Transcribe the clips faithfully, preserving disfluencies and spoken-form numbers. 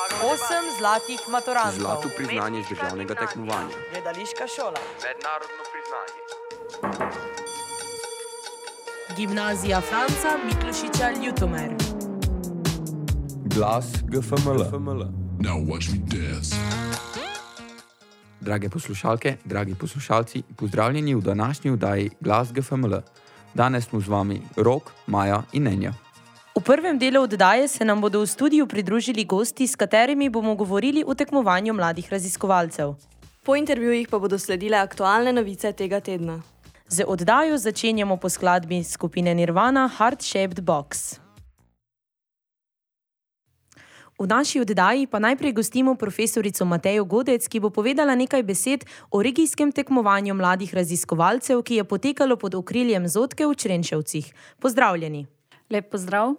Osem zlatih maturantov. Zlato priznanje z državnega tekmovanja. Gledališka šola. Mednarodno priznanje. Gimnazija Franca Miklošiča Ljutomer. Glas G F M L. Now watch me dance. Drage poslušalke, dragi poslušalci, pozdravljeni v današnji vdaji Glas G F M L. Danes smo z vami Rok, Maja in Nenja. V prvem delu oddaje se nam bodo v studiu pridružili gosti, s katerimi bomo govorili o tekmovanju mladih raziskovalcev. Po intervjujih pa bodo sledile aktualne novice tega tedna. Z oddajo začenjamo po skladbi skupine Nirvana Heart Shaped Box. V naši oddaji pa najprej gostimo profesorico Matejo Godec, ki bo povedala nekaj besed o regijskem tekmovanju mladih raziskovalcev, ki je potekalo pod okriljem Zotke v Črenšovcih. Pozdravljeni. Lep pozdrav.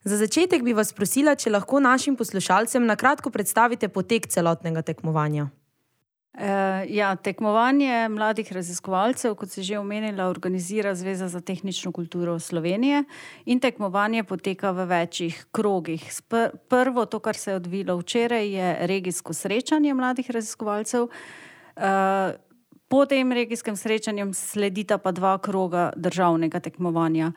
Za začetek bi vas prosila, če lahko našim poslušalcem na kratko predstavite potek celotnega tekmovanja. E, ja, tekmovanje mladih raziskovalcev, kot se že omenila, organizira Zveza za tehnično kulturo Slovenije in tekmovanje poteka v večjih krogih. Spr- prvo, to, kar se je odvilo včeraj, je regijsko srečanje mladih raziskovalcev. E, po tem regijskem srečanju sledita pa dva kroga državnega tekmovanja.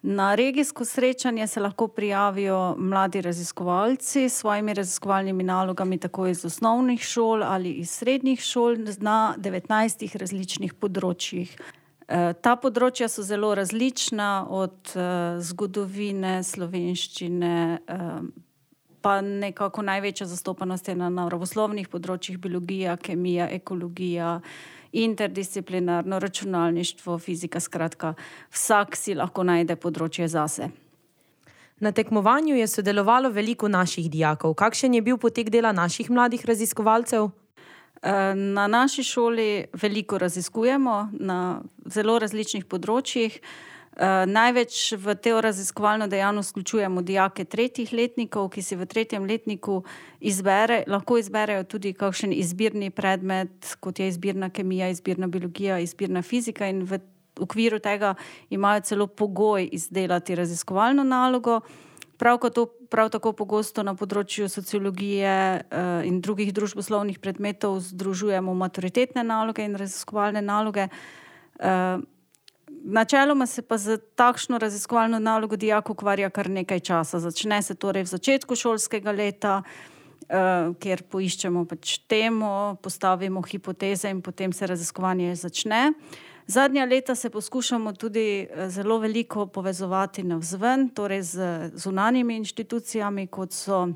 Na regijsko srečanje se lahko prijavijo mladi raziskovalci s svojimi raziskovalnimi nalogami tako iz osnovnih šol ali iz srednjih šol na devetnajstih različnih področjih. E, ta področja so zelo različna, od e, zgodovine, slovenščine, e, pa nekako največja zastopanost je na naravoslovnih področjih, biologija, kemija, ekologija, interdisciplinarno računalništvo, fizika, skratka, vsak si lahko najde področje zase. Na tekmovanju je sodelovalo veliko naših dijakov. Kakšen je bil potek dela naših mladih raziskovalcev? Na naši šoli veliko raziskujemo na zelo različnih področjih. Največ v to raziskovalno dejavnost vključujemo dijake tretjih letnikov, ki si v tretjem letniku izbere, lahko izberejo tudi kakšen izbirni predmet, kot je izbirna kemija, izbirna biologija, izbirna fizika, in v okviru tega imajo celo pogoj izdelati raziskovalno nalogo. Prav, to, prav tako pogosto na področju sociologije uh, in drugih družboslovnih predmetov združujemo maturitetne naloge in raziskovalne naloge. Uh, Načeloma se pa za takšno raziskovalno nalogo dijak ukvarja kar nekaj časa. Začne se torej v začetku šolskega leta, uh, kjer poiščemo pač temo, postavimo hipoteze in potem se raziskovanje začne. Zadnja leta se poskušamo tudi zelo veliko povezovati navzven, torej z zunanjimi inštitucijami, kot so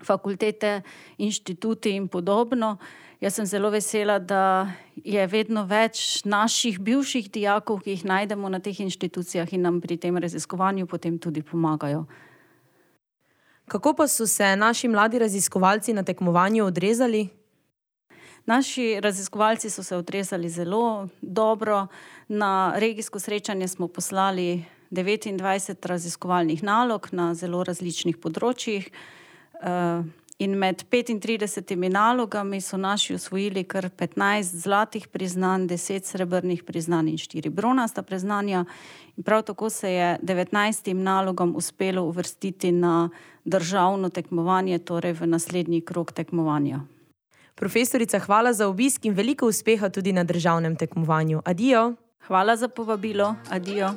fakultete, inštituti in podobno. Jaz sem zelo vesela, da je vedno več naših bivših dijakov, ki jih najdemo na teh inštitucijah in nam pri tem raziskovanju potem tudi pomagajo. Kako pa so se naši mladi raziskovalci na tekmovanju odrezali? Naši raziskovalci so se odrezali zelo dobro. Na regijsko srečanje smo poslali devetindvajset raziskovalnih nalog na zelo različnih področjih. In med petintridesetimi nalogami so naši osvojili kar petnajst zlatih priznanj, deset srebrnih priznanj in štiri bronasta priznanja. In prav tako se je devetnajstim nalogam uspelo uvrstiti na državno tekmovanje, torej v naslednji krog tekmovanja. Profesorica, hvala za obisk in veliko uspeha tudi na državnem tekmovanju. Adijo. Hvala za povabilo. Adijo.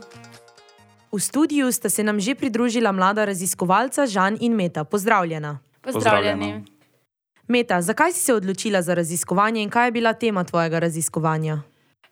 V studiu sta se nam že pridružila mlada raziskovalca Žan in Meta. Pozdravljena. Pozdravljeni. Meta, zakaj si se odločila za raziskovanje in kaj je bila tema tvojega raziskovanja?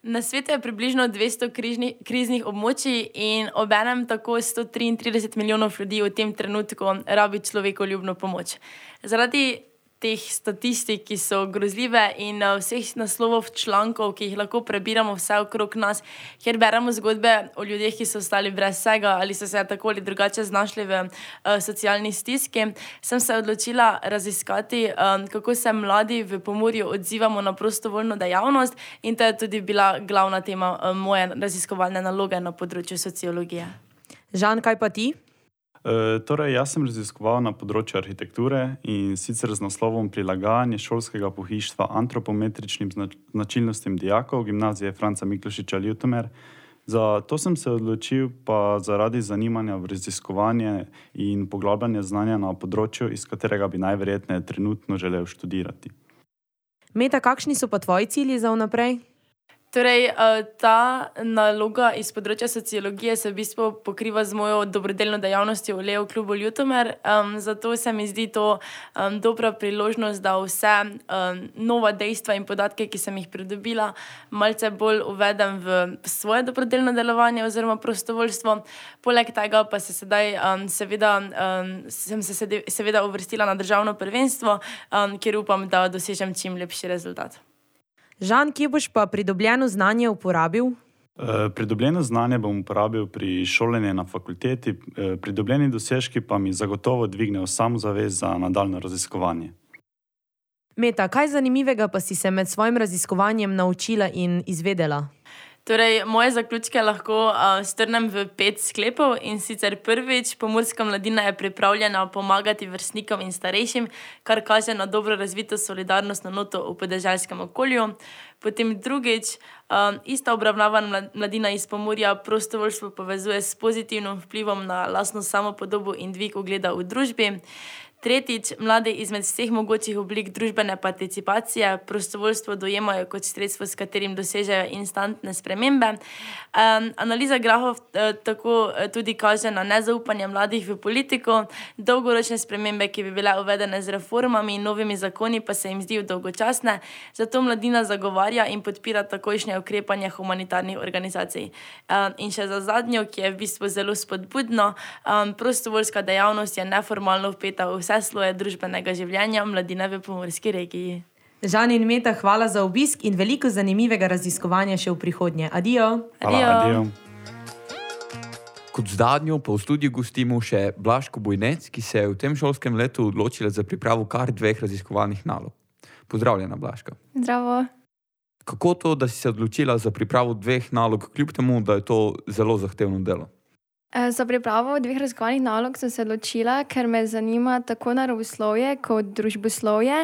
Na svetu je približno dvesto križni, kriznih območij in obenem tako sto triintrideset milijonov ljudi v tem trenutku rabi človekoljubno pomoč. Zaradi teh statistik, ki so grozljive, in vseh naslovov člankov, ki jih lahko prebiramo vse okrog nas, kjer beremo zgodbe o ljudeh, ki so ostali brez vsega ali so se tako ali drugače znašli v uh, socialni stiski, sem se odločila raziskati, um, kako se mladi v Pomurju odzivamo na prostovoljno dejavnost, in to je tudi bila glavna tema uh, moje raziskovalne naloge na področju sociologije. Žan, kaj pa ti? E, torej, jaz sem raziskoval na področju arhitekture in sicer z naslovom Prilagajanje šolskega pohištva antropometričnim značilnostim dijakov Gimnazije Franca Miklošiča Ljutomer Za to sem se odločil pa zaradi zanimanja v raziskovanje in poglabljanje znanja na področju, iz katerega bi najverjetneje trenutno želel študirati. Meta, kakšni so pa tvoji cilji za vnaprej? Torej, ta naloga iz področja sociologije se v bistvu pokriva z mojo dobrodelno dejavnostjo v Leo klubu Ljutomer. Um, zato se mi zdi to um, dobra priložnost, da vse um, nova dejstva in podatke, ki sem jih pridobila, malce bolj uvedem v svoje dobrodelno delovanje oziroma prostovoljstvo. Poleg tega pa se sedaj um, seveda, um, sem se sede, seveda uvrstila na državno prvenstvo, um, kjer upam, da dosežem čim lepši rezultat. Žan, kje boš pa pridobljeno znanje uporabil? E, pridobljeno znanje bom uporabil pri šolanju na fakulteti, e, pridobljeni dosežki pa mi zagotovo dvignejo samozavest za nadaljno raziskovanje. Meta, kaj zanimivega pa si se med svojim raziskovanjem naučila in izvedela? Torej, moje zaključke lahko uh, strnem v pet sklepov, in sicer prvič, pomurska mladina je pripravljena pomagati vrstnikom in starejšim, kar kaže na dobro razvito solidarnostno noto v podeželskem okolju. Potem drugič, um, ista obravnavana mladina iz Pomurja prostovoljstvo povezuje s pozitivnim vplivom na lastno samopodobo in dvig ugleda v družbi. Tretjič, mladi izmed vseh mogočih oblik družbene participacije prostovoljstvo dojemajo kot sredstvo, s katerim dosežejo instantne spremembe. Um, analiza grafov uh, tako uh, tudi kaže na nezaupanje mladih v politiko, dolgoročne spremembe, ki bi bile uvedene z reformami in novimi zakoni, pa se jim zdijo dolgočasne, zato mladina zagovarja in podpira takojšnje ukrepanje humanitarnih organizacij. Um, in še za zadnjo, ki je v bistvu zelo spodbudno, um, prostovoljska dejavnost je neformalno vpeta v vse sloje družbenega življenja mladine v pomurski regiji. Žan in Meta, hvala za obisk in veliko zanimivega raziskovanja še v prihodnje. Adijo. Hvala, adijo. Kot zadnjo pa v studiu gostimo še Blažko Bojnec, ki se je v tem šolskem letu odločila za pripravo kar dveh raziskovalnih nalog. Pozdravljena, Blažka. Zdravo. Kako to, da si se odločila za pripravo dveh nalog, kljub temu, da je to zelo zahtevno delo? Za pripravo dveh raziskovalnih nalog sem se odločila, ker me zanima tako naravoslovje kot družboslovje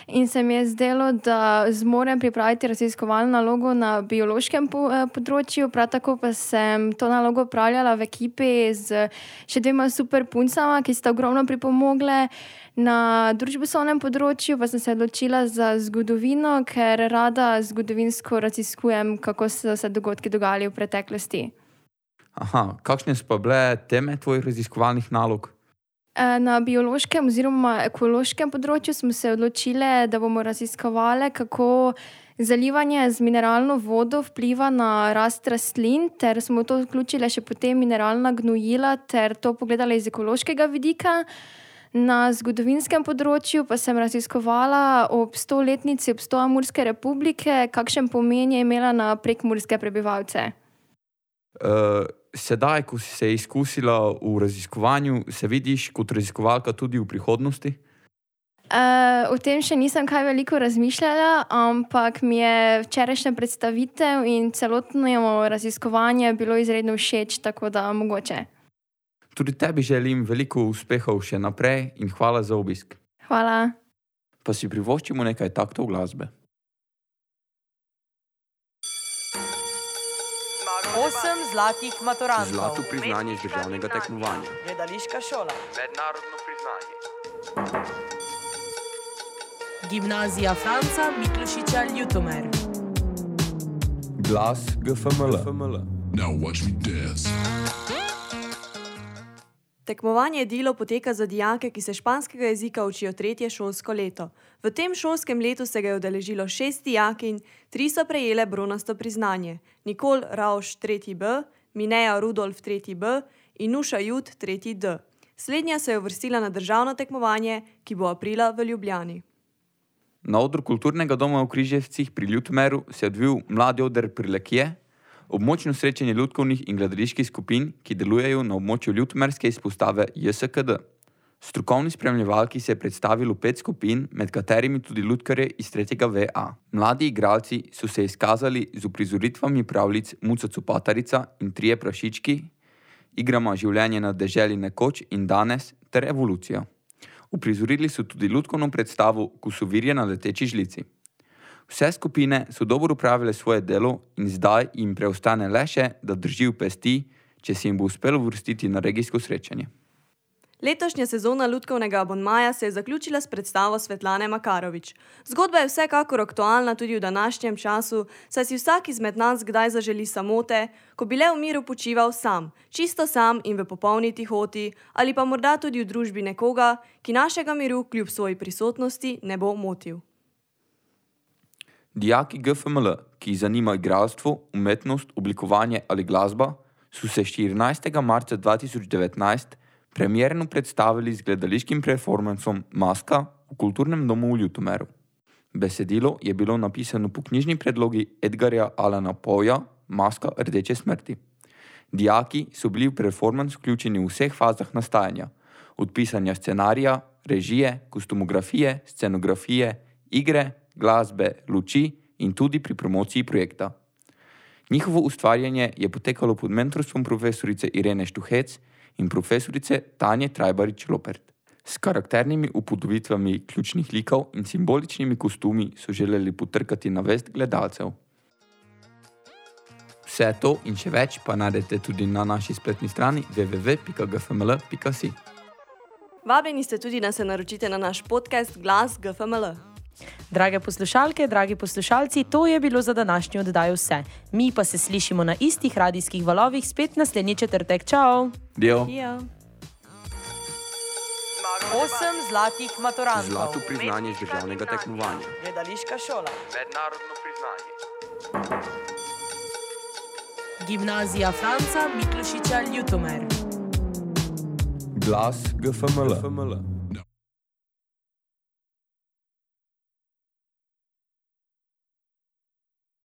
in se mi je zdelo, da zmorem pripraviti raziskovalno nalogo na biološkem področju, prav tako pa sem to nalogo opravljala v ekipi z še dvema super puncama, ki sta ogromno pripomogle. Na družboslovnem področju pa sem se odločila za zgodovino, ker rada zgodovinsko raziskujem, kako so se dogodki dogajali v preteklosti. Aha, kakšne so pa bile teme tvojih raziskovalnih nalog? Na biološkem oziroma ekološkem področju smo se odločili, da bomo raziskovali, kako zalivanje z mineralno vodo vpliva na rast rastlin, ter smo to vključili še potem mineralna gnojila, ter to pogledali iz ekološkega vidika. Na zgodovinskem področju pa sem raziskovala ob stoletnici obstoja Murske republike, kakšen pomen je imela na prekmurske prebivalce. Uh, sedaj, ko si se izkusila v raziskovanju, se vidiš kot raziskovalka tudi v prihodnosti? Uh, o tem še nisem kaj veliko razmišljala, ampak mi je včerajšnja predstavitev in celotno raziskovanje bilo izredno všeč, tako da mogoče. Tudi tebi želim veliko uspehov še naprej in hvala za obisk. Hvala. Pa si privoščimo nekaj taktov glasbe. Osem zlatih maturantov. Zlato priznanje z državnega tekmovanja. Gledališka šola. Mednarodno priznanje. Gimnazija Franca Miklošiča Ljutomer. Glas G F M L. Now watch me dance. Tekmovanje Dilo poteka za dijake, ki se španskega jezika učijo tretje šolsko leto. V tem šolskem letu se ga je udeležilo šest dijakinj, tri so prejele bronasto priznanje. Nikol Rauš tretji B, Mineja Rudolf tretji B in Nuša Jud tretji D. Slednja se je uvrstila na državno tekmovanje, ki bo aprila v Ljubljani. Na odru kulturnega doma v Križevcih pri Ljutomeru se je odvil mladi oder Prilekje, območno srečanje ljudkovnih in gledaliških skupin, ki delujejo na območju ljutomerske izpostave J S K D. Strokovni spremljevalki se je predstavilo pet skupin, med katerimi tudi lutkarje iz tretjega V A. Mladi igralci so se izkazali z uprizoritvami pravljic Muca Copatarica in Trije prašički, igrama Življenje na deželi nekoč in danes ter Evolucija. Uprizorili so tudi lutkovno predstavo Kusovirje na leteči žlici. Vse skupine so dobro upravile svoje delo in zdaj jim preostane le še, da držijo pesti, če se jim bo uspelo vrstiti na regijsko srečanje. Letošnja sezona lutkovnega abonmaja se je zaključila s predstavo Svetlane Makarovič. Zgodba je vsekakor aktualna tudi v današnjem času, saj si vsak izmed nas kdaj zaželi samote, ko bi le v miru počival sam, čisto sam in v popolni tihoti, ali pa morda tudi v družbi nekoga, ki našega miru kljub svoji prisotnosti ne bo motil. Dijaki G F M L, ki jih zanima igralstvo, umetnost, oblikovanje ali glasba, so se štirinajstega marca dva tisoč devetnajst premierno predstavili z gledališkim performancom Maska v Kulturnem domu v Ljutomeru. Besedilo je bilo napisano po knjižni predlogi Edgarja Allana Poeja Maska rdeče smrti. Dijaki so bili v performance vključeni v vseh fazah nastajanja, od pisanja scenarija, režije, kostumografije, scenografije, igre, glasbe, luči in tudi pri promociji projekta. Njihovo ustvarjanje je potekalo pod mentorstvom profesorice Irene Štuhec in profesorice Tanje Trajbarič-Lopert. S karakternimi upodobitvami ključnih likov in simboličnimi kostumi so želeli potrkati na vest gledalcev. Vse to in še več pa najdete tudi na naši spletni strani w w w pika g f m l pika si. Vabljeni ste tudi, da se naročite na naš podcast Glas G F M L. Drage poslušalke, dragi poslušalci, to je bilo za današnjo oddajo vse. Mi pa se slišimo na istih radijskih valovih spet naslednji četrtek. Čau! Dio. Osem zlatih maturantov. Zlato priznanje z državnega tekmovanja. Gledališka šola. Mednarodno priznanje. Gimnazija Franca Miklošiča Ljutomer. Glas G F M L.